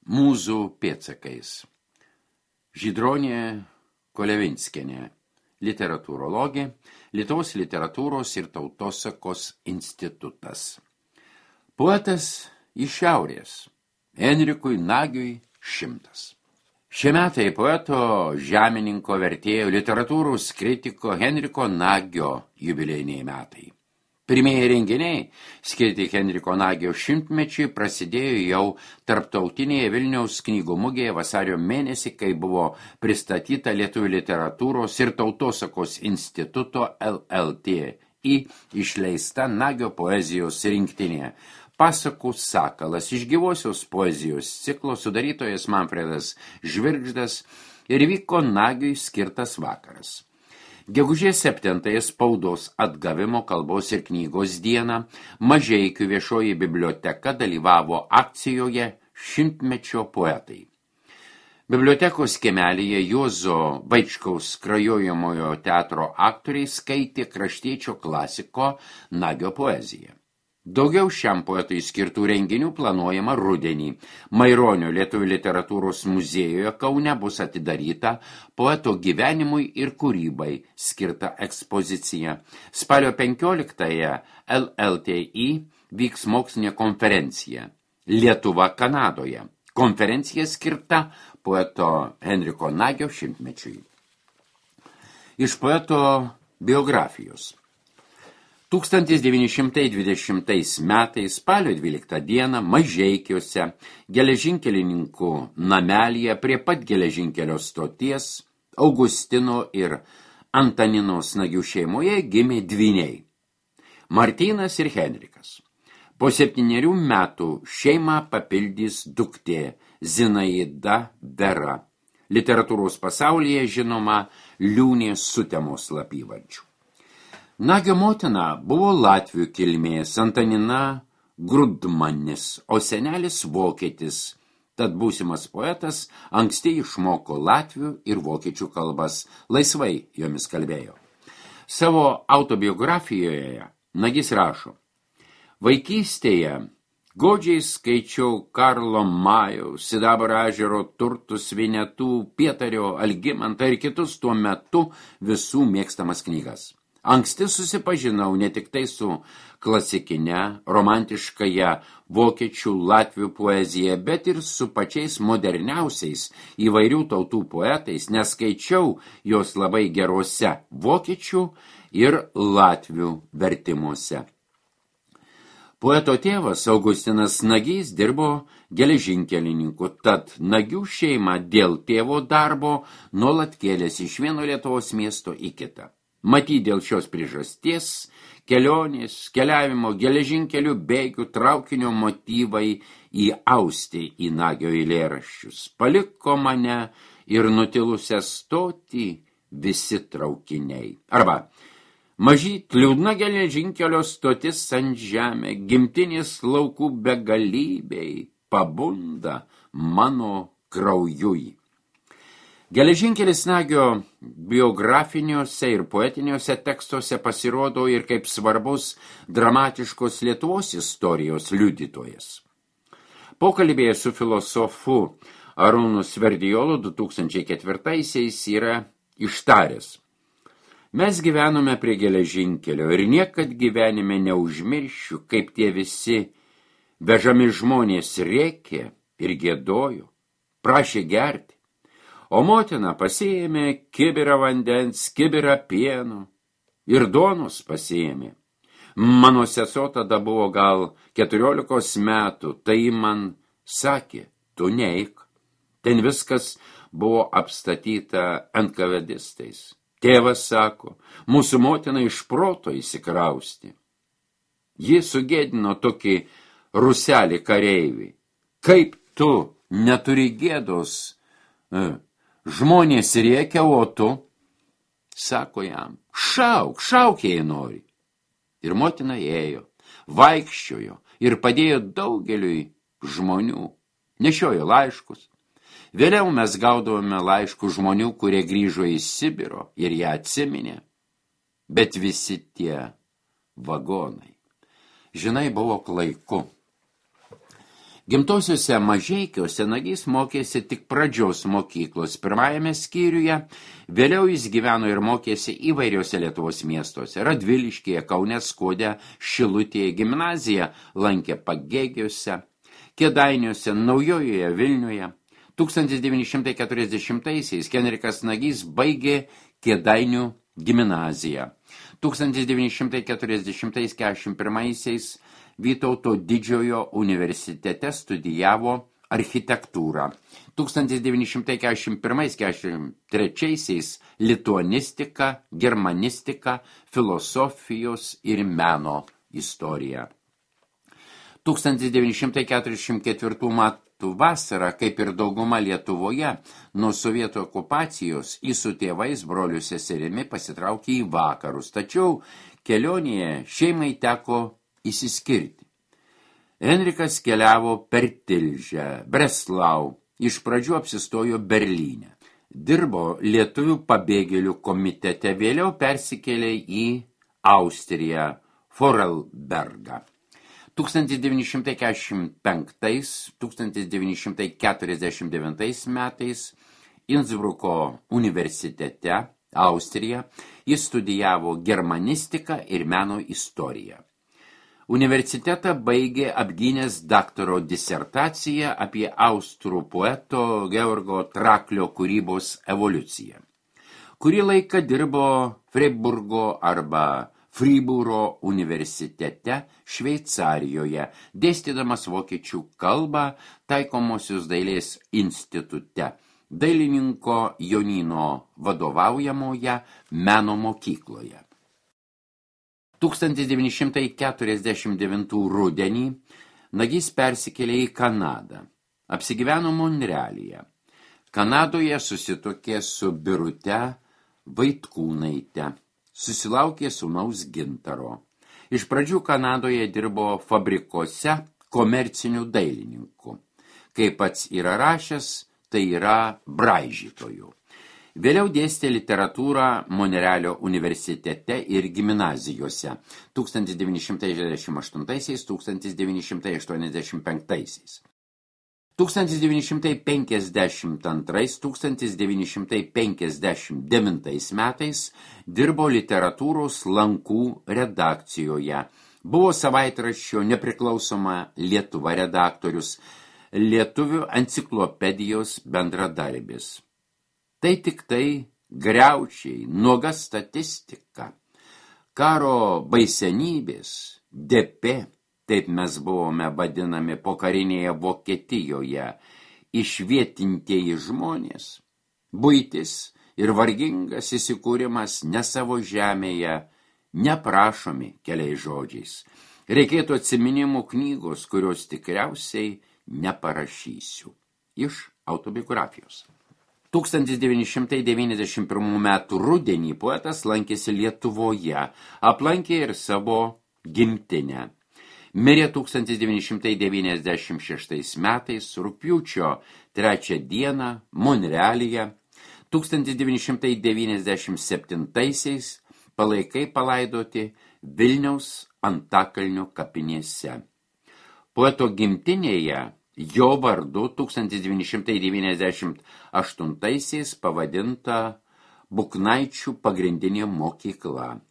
Mūzų pėdsakais. Žydronė Kolevinskienė, literatūrologė, Lietuvos literatūros ir tautosakos institutas. Poetas iš šiaurės, Henrikui Nagiui 100. Šie metai poeto, žemininko, vertėjo, literatūros kritiko Henriko Nagio jubiliejiniai metai. Pirmieji renginiai, skirti Henriko Nagio 100-mečiui, prasidėjo jau tarptautinėje Vilniaus knygų mugėje vasario mėnesį, kai buvo pristatyta Lietuvių literatūros ir tautosakos instituto LLTI išleista Nagio poezijos rinktinė. Pasakų sakalas iš gyvosios poezijos ciklo sudarytojas Manfredas Žvirgždas ir vyko Nagiui skirtas vakaras. Gegužės 7 spaudos atgavimo kalbos ir knygos dieną Mažeikių viešoji biblioteka dalyvavo akcijoje 100-mečio poetai. Bibliotekos kiemelyje Juozo Vaičkaus krajojamojo teatro aktoriai skaitė kraštiečio klasiko Nagio poeziją. Daugiau šiam poetui skirtų renginių planuojama rudenį. Maironio Lietuvių literatūros muziejuje Kaune bus atidaryta poeto gyvenimui ir kūrybai skirta ekspozicija. Spalio 15-ąją LLTI vyks mokslinė konferencija Lietuva Kanadoje. Konferencija skirta poeto Henriko Nagio 100-mečiui. Iš poeto biografijos. 1920 metais spalio 12 dieną Mažeikiuose geležinkelininkų namelyje prie pat geležinkelio stoties Augustino ir Antaninos Nagių šeimoje gimė dvyniai – Martynas ir Henrikas. Po 7 metų šeimą papildys duktė Zinaida Vera, literatūros pasaulyje žinoma Liūnės Sutemos slapyvardžiu. Nagio motina buvo latvių kilmės Antanina Grudmanis, o senelis vokietis, tad būsimas poetas anksti išmoko latvių ir vokiečių kalbas, laisvai jomis kalbėjo. Savo autobiografijoje Nagis rašo: vaikystėje godžiai skaičiau Karlo Majaus, Sidabro ežero turtus, Vinetų, Pietario, Algimantą ir kitus tuo metu visų mėgstamas knygas. Anksti susipažinau ne tik tai su klasikine, romantiškaja vokiečių, latvių poezija, bet ir su pačiais moderniausiais įvairių tautų poetais, nes skaičiau jos labai gerose vokiečių ir latvių vertimuose. Poeto tėvas Augustinas Nagys dirbo geležinkelininku, tad Nagių šeima dėl tėvo darbo nuolat kėlėsi iš vieno Lietuvos miesto į kitą. Matyt, dėl šios priežasties kelionės, keliavimo geležinkelių bėgių traukinio motyvai įausti į Nagio eilėraščius. Paliko mane ir nutilusią stotį visi traukiniai. Arba mažyt liūdna geležinkelio stotis ant žemė, gimtinės laukų begalybei pabunda mano kraujui. Geležinkelis Nagio biografiniuose ir poetiniuose tekstuose pasirodo ir kaip svarbus dramatiškos Lietuvos istorijos liudytojas. Pokalbėje su filosofu Arūnu Sverdijolu 2004-aisiais yra ištaręs: mes gyvenome prie geležinkelio ir niekad gyvenime neužmiršiu, kaip tie visi vežami žmonės rėkė ir giedojo, prašė gerti. O motina pasiėmė kibirą vandens, kibirą pieno ir duonos pasiėmė. Mano sesuo tada buvo gal 14 metų, tai man sakė: tu neik. Ten viskas buvo apstatyta NKVDistais. Tėvas sako: mūsų motina iš proto įsikrausti. Ji sugėdino tokį ruselį kareivį. Kaip tu neturi gėdos? Žmonės rėkia, o tu, sako jam, šauk, jei nori. Ir motina ėjo, vaikščiojo ir padėjo daugeliui žmonių, nešiojo laiškus. Vėliau mes gaudavome laiškų žmonių, kurie grįžo į Sibiro ir ją atsiminė. Bet visi tie vagonai, žinai, buvo klaiku. Gimtosiuose Mažeikiuose Nagys mokėsi tik pradžios mokyklos pirmajame skyriuje, vėliau jis gyveno ir mokėsi įvairiuose Lietuvos miestuose. Radviliškyje, Kaune, Skuode, Šilutėje, gimnaziją lankė Pagėgiuose, Kėdainiuose, Naujojoje Vilniuje. 1940-aisiais Henrikas Nagys baigė Kėdainių gimnaziją. 1940-41-aisiais Vytauto Didžiojo universitete studijavo architektūrą. 1941-43 lituanistiką, germanistiką, filosofijos ir meno istoriją. 1944 metų vasarą, kaip ir dauguma Lietuvoje, nuo sovietų okupacijos jis su tėvais, broliu seserimi pasitraukė į vakarus, tačiau kelionėje šeimai teko įsiskirti. Henrikas keliavo per Tilžę, Breslau, iš pradžių apsistojo Berlyne. Dirbo lietuvių pabėgėlių komitete, vėliau persikėlė į Austriją, Vorarlbergą. 1945-1949 metais Innsbruko universitete, Austrija, jis studijavo germanistiką ir meno istoriją. Universitetą baigė apgynęs daktaro disertaciją apie austrų poeto Georgo Traklio kūrybos evoliuciją. Kurį laiką dirbo Freiburgo arba Fribūro universitete Šveicarijoje, dėstydamas vokiečių kalbą taikomosios dailės institute, dailininko Jonino vadovaujamoje meno mokykloje. 1949 rudenį Nagys persikėlė į Kanadą. Apsigyveno Monrealyje. Kanadoje susituokė su Birute Vaitkūnaite. Susilaukė sūnaus Gintaro. Iš pradžių Kanadoje dirbo fabrikuose komercinių dailininkų. Kaip pats yra rašęs, tai yra braižytojų. Vėliau dėstė literatūrą Monrealio universitete ir gimnazijose 1968-1985. 1952-1959 metais dirbo literatūros lankų redakcijoje. Buvo savaitraščio Nepriklausoma Lietuva redaktorius, Lietuvių enciklopedijos bendradarbis. Tai tik tai griaučiai, nuoga statistika, karo baisenybės, DP, taip mes buvome vadinami pokarinėje Vokietijoje, išvietintieji žmonės, buitis ir vargingas įsikūrimas ne savo žemėje, neprašomi keliais žodžiais. Reikėtų atsiminimų knygos, kurios tikriausiai neparašysiu. Iš autobiografijos. 1991 metų rudenį poetas lankėsi Lietuvoje, aplankė ir savo gimtinę. Mirė 1996 metais, rugpjūčio 3 dieną, Monrealyje. 1997 palaikai palaidoti Vilniaus Antakalnio kapinėse. Poeto gimtinėje jo vardu 1998 pavadinta Buknaičių pagrindinė mokykla.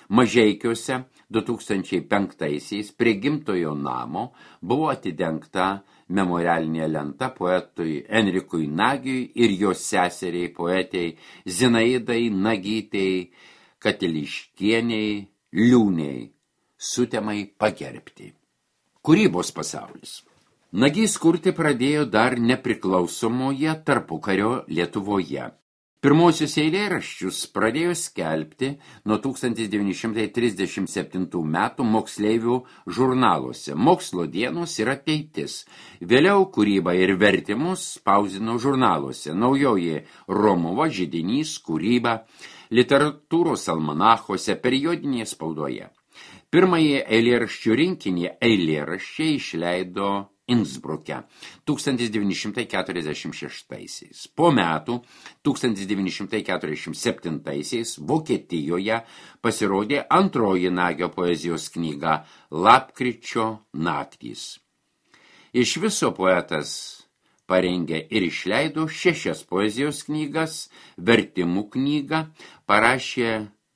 Mažeikiuose 2005 prie gimtojo namo buvo atidengta memorialinė lenta poetui Enrikui Nagiui ir jo seseriai poetei Zinaidai Nagytei Katiliškieniai Liūniai, sutemai pagerbti. Kūrybos pasaulis. Nagys kurti pradėjo dar nepriklausomoje tarpukario Lietuvoje. Pirmosius eilėraščius pradėjo skelbti nuo 1937 metų moksleivių žurnaluose Mokslo dienos ir ateitis. Vėliau kūrybą ir vertimus spausdino žurnaluose Naujoji Romuva, Židinys, Kūryba, literatūros almanachuose, periodinėje spaudoje. Pirmąjį eilėraščių rinkinį eilėraščiai išleido Innsbruke 1946. Po metų 1947 Vokietijoje pasirodė antroji Nagio poezijos knyga Lapkričio naktys. Iš viso poetas parengė ir išleido 6 poezijos knygas, vertimų knygą, parašė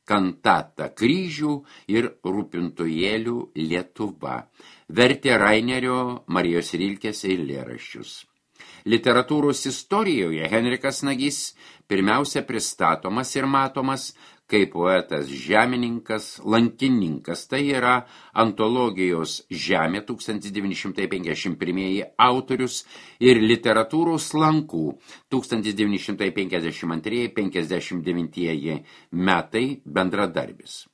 kantatą Kryžių ir Rūpintojėlių Lietuva, vertė Rainerio Marijos Rilkės eilėraščius. Literatūros istorijoje Henrikas Nagys pirmiausia pristatomas ir matomas kaip poetas žemininkas, lankininkas, tai yra antologijos Žemė 1951 autorius ir literatūros lankų 1952-59 metai bendradarbis.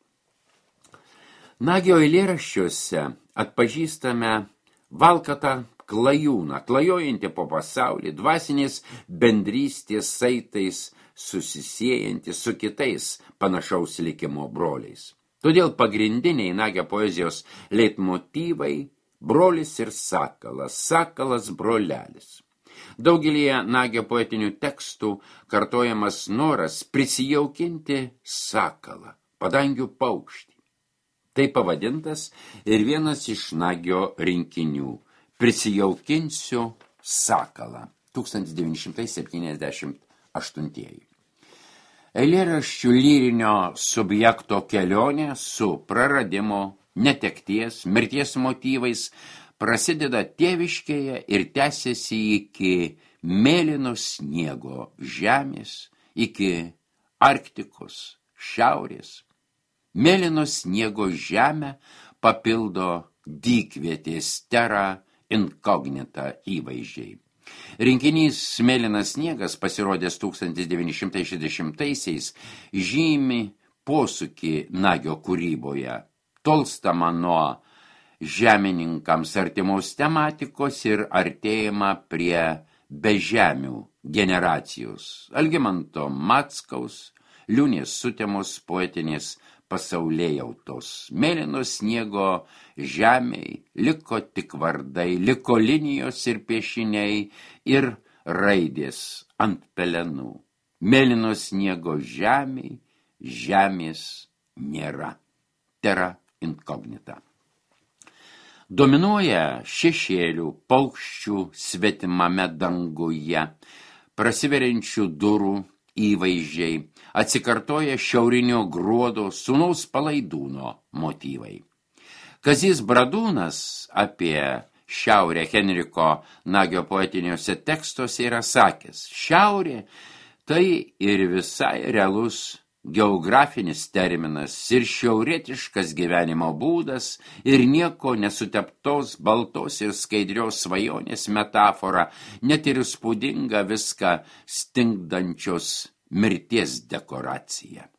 Nagyo eilėraščiuose atpažįstame valkatą klajūną, klajojantį po pasaulį, dvasinės bendrystės saitais susisiejanti su kitais panašaus likimo broliais. Todėl pagrindiniai Nagyo poezijos leitmotyvai brolis ir sakalas, sakalas brolelis. Daugelėje Nagyo poetinių tekstų kartojamas noras prisijaukinti sakalą, padangių paukštį. Tai pavadintas ir vienas iš Nagyo rinkinių Prisijaukinsiu sakalą 1978. Eilėraščių lyrinio subjekto kelionė su praradimo, netekties, mirties motyvais prasideda tėviškėje ir tęsiasi iki mėlyno sniego žemės, iki Arktikos šiaurės. Mėlyno sniego žemę papildo dykvietės Terra Incognita įvaizdžiai. Rinkinys Mėlynas sniegas, pasirodęs 1960-aisiais, žymi posūkį Nagyo kūryboje, tolstama nuo žemininkams artimos tematikos ir artėjama prie bežemių generacijos, Algimanto Mackaus, Liūnės Sutemos poetinės pasaulėjautos. Mėlyno sniego žemei liko tik vardai, liko linijos ir piešiniai ir raidės ant pelenų. Mėlyno sniego žemei žemės nėra. Terra Incognita. Dominuoja šešėlių, paukščių svetimame danguje, prasiveriančių durų įvaizdžiai, atsikartoja šiaurinio gruodo sūnaus Palaidūno motyvai. Kazys Bradūnas apie šiaurę Henriko Nagyo poetiniuose tekstuose yra sakęs: šiaurė tai ir visai realus geografinis terminas ir šiaurietiškas gyvenimo būdas ir nieko nesuteptos baltos ir skaidrios svajonės metafora, net ir įspūdinga viską stingdančios mirties dekoracija.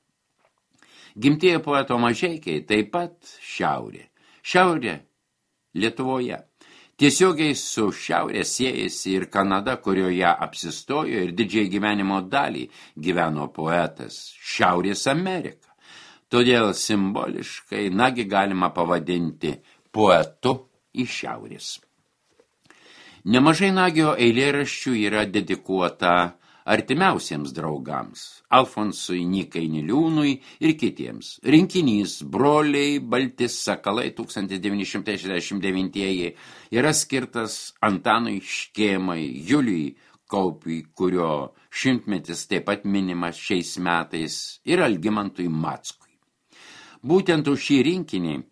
Gimtieji poeto Mažeikiai taip pat šiaurė. Šiaurė Lietuvoje. Tiesiogiai su šiaurė siejasi ir Kanada, kurioje apsistojo ir didžiai gyvenimo dalį gyveno poetas, Šiaurės Amerika. Todėl simboliškai Nagyį galima pavadinti poetu iš šiaurės. Nemažai Nagyo eilėraščių yra dedikuota artimiausiems draugams, Alfonsui Nykai Niliūnui ir kitiems. Rinkinys Broliai balti sakalai 1969 yra skirtas Antanui Škėmai, Juliui Kaupiui, kurio šimtmetis taip pat minimas šiais metais, ir Algimantui Mackui. Būtent už šį rinkinį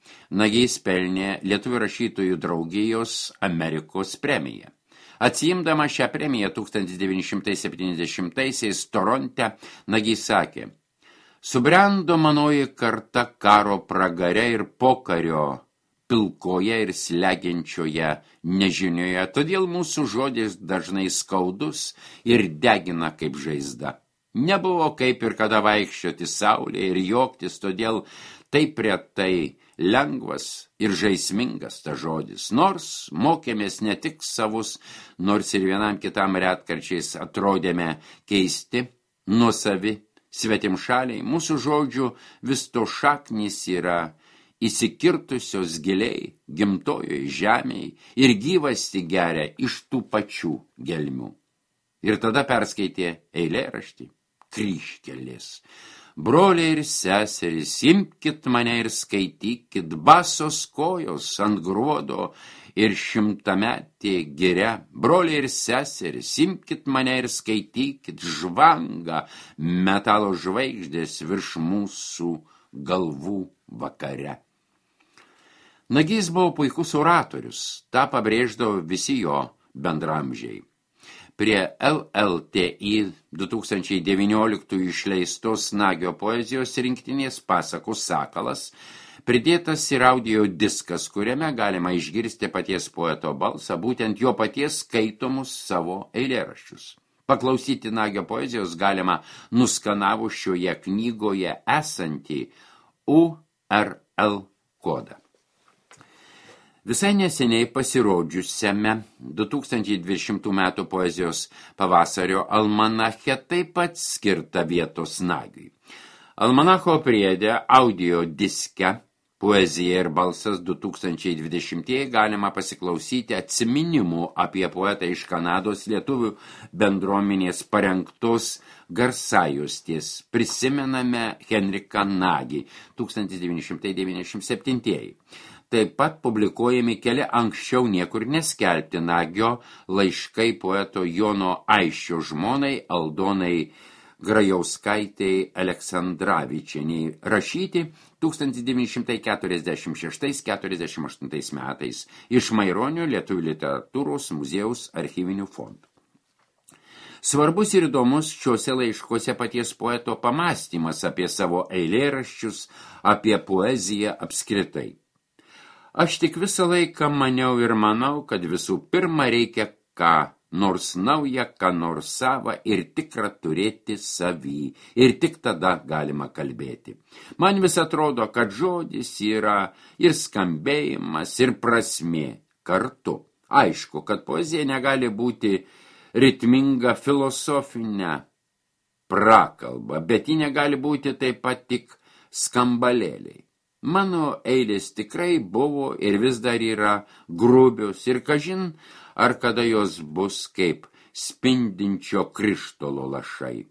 Nagys pelnė Lietuvių rašytojų draugijos Amerikos premiją. Atsiimdama šią premiją 1970-aisiais Toronte, Nagys sakė: subrendo manoji karta karo pragare ir pokario pilkoje ir slegiančioje nežinioje, todėl mūsų žodis dažnai skaudus ir degina kaip žaizda. Nebuvo kaip ir kada vaikščioti saulė ir juoktis, todėl taip retai lengvas ir žaismingas ta žodis. Nors mokėmės ne tik savus, nors ir vienam kitam retkarčiais atrodėme keisti, nuosavi, svetimšaliai, mūsų žodžių vis to šaknys yra įsikirtusios giliai gimtojoj žemėj ir gyvasti geria iš tų pačių gelmių. Ir tada perskaitė eilėraštį Kryžkelės. Broliai ir seserys, imkit mane ir skaitykit, basos kojos ant gruodo ir šimtametė giria, broliai ir seseris, imkit mane ir skaitykit žvangą metalo žvaigždės virš mūsų galvų vakare. Nagys buvo puikus oratorius, tą pabrėždavo visi jo bendramžiai. Prie LLTI 2019 išleistos Nagyo poezijos rinktinės Pasakų sakalas pridėtas ir audio diskas, kuriame galima išgirsti paties poeto balsą, būtent jo paties skaitomus savo eilėraščius. Paklausyti Nagyo poezijos galima nuskanavus šioje knygoje esantį URL kodą. Visai neseniai pasirodžiusiame 2020 metų poezijos pavasario almanache taip pat skirta vietos Nagiui. Almanacho priede audio diske Poezija ir balsas 2020 galima pasiklausyti atsiminimų apie poetą iš Kanados lietuvių bendruomenės parengtos garsajuostės. Prisimename Henriką Nagį 1997. Taip pat publikuojami keli anksčiau niekur neskelbti Nagio laiškai poeto Jono Aisčio žmonai Aldonai Grajauskaitei Aleksandravičienei rašyti 1946–48 metais iš Maironio Lietuvių literatūros muziejaus archyvinių fondų. Svarbus ir įdomus šiuose laiškuose paties poeto pamąstymas apie savo eilėraščius, apie poeziją apskritai. Aš tik visą laiką maniau ir manau, kad visų pirma reikia ką nors nauja, ką nors sava ir tikrą turėti savį. Ir tik tada galima kalbėti. Man vis atrodo, kad žodis yra ir skambėjimas, ir prasmė kartu. Aišku, kad poezija negali būti ritminga filosofinė prakalba, bet ji negali būti taip pat tik skambalėliai. Mano eilės tikrai buvo ir vis dar yra grubios ir kažin, ar kada jos bus kaip spindinčio krištolo lašai.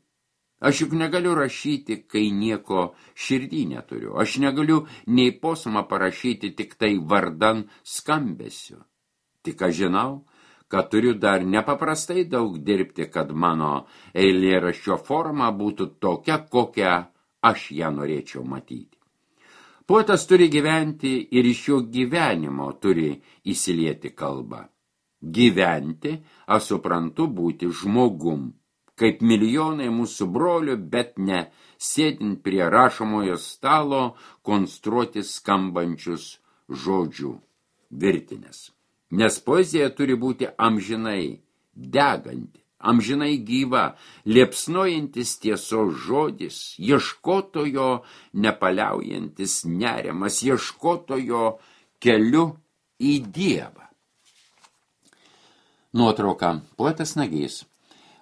Aš juk negaliu rašyti, kai nieko širdį neturiu. Aš negaliu nei posmą parašyti tik tai vardan skambesiu. Tik aš žinau, kad turiu dar nepaprastai daug dirbti, kad mano eilėraščio forma būtų tokia, kokią aš ją norėčiau matyti. Poetas turi gyventi ir iš jo gyvenimo turi įsilieti kalbą. Gyventi, aš suprantu, būti žmogum, kaip milijonai mūsų brolių, bet ne sėdint prie rašomojo stalo konstruoti skambančius žodžių virtinės. Nes poezija turi būti amžinai deganti, amžinai gyva, liepsnojantis tiesos žodis, ieškotojo nepaliaujantis nerimas, ieškotojo keliu į Dievą. Nuotrauka. Poetas Nagys.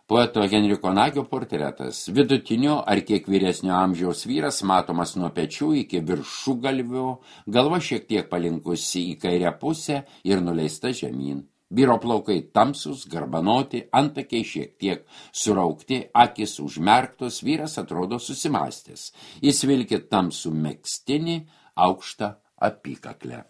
Poeto Henriko Nagio portretas. Vidutinio ar kiek vyresnio amžiaus vyras matomas nuo pečių iki viršugalvio, galva šiek tiek palinkusi į kairę pusę ir nuleista žemyn. Vyro plaukai tamsus, garbanoti, antakiai šiek tiek suraukti, akys užmerktos, vyras atrodo susimąstęs. Jis vilki tamsų megztinį, aukštą apykaklę.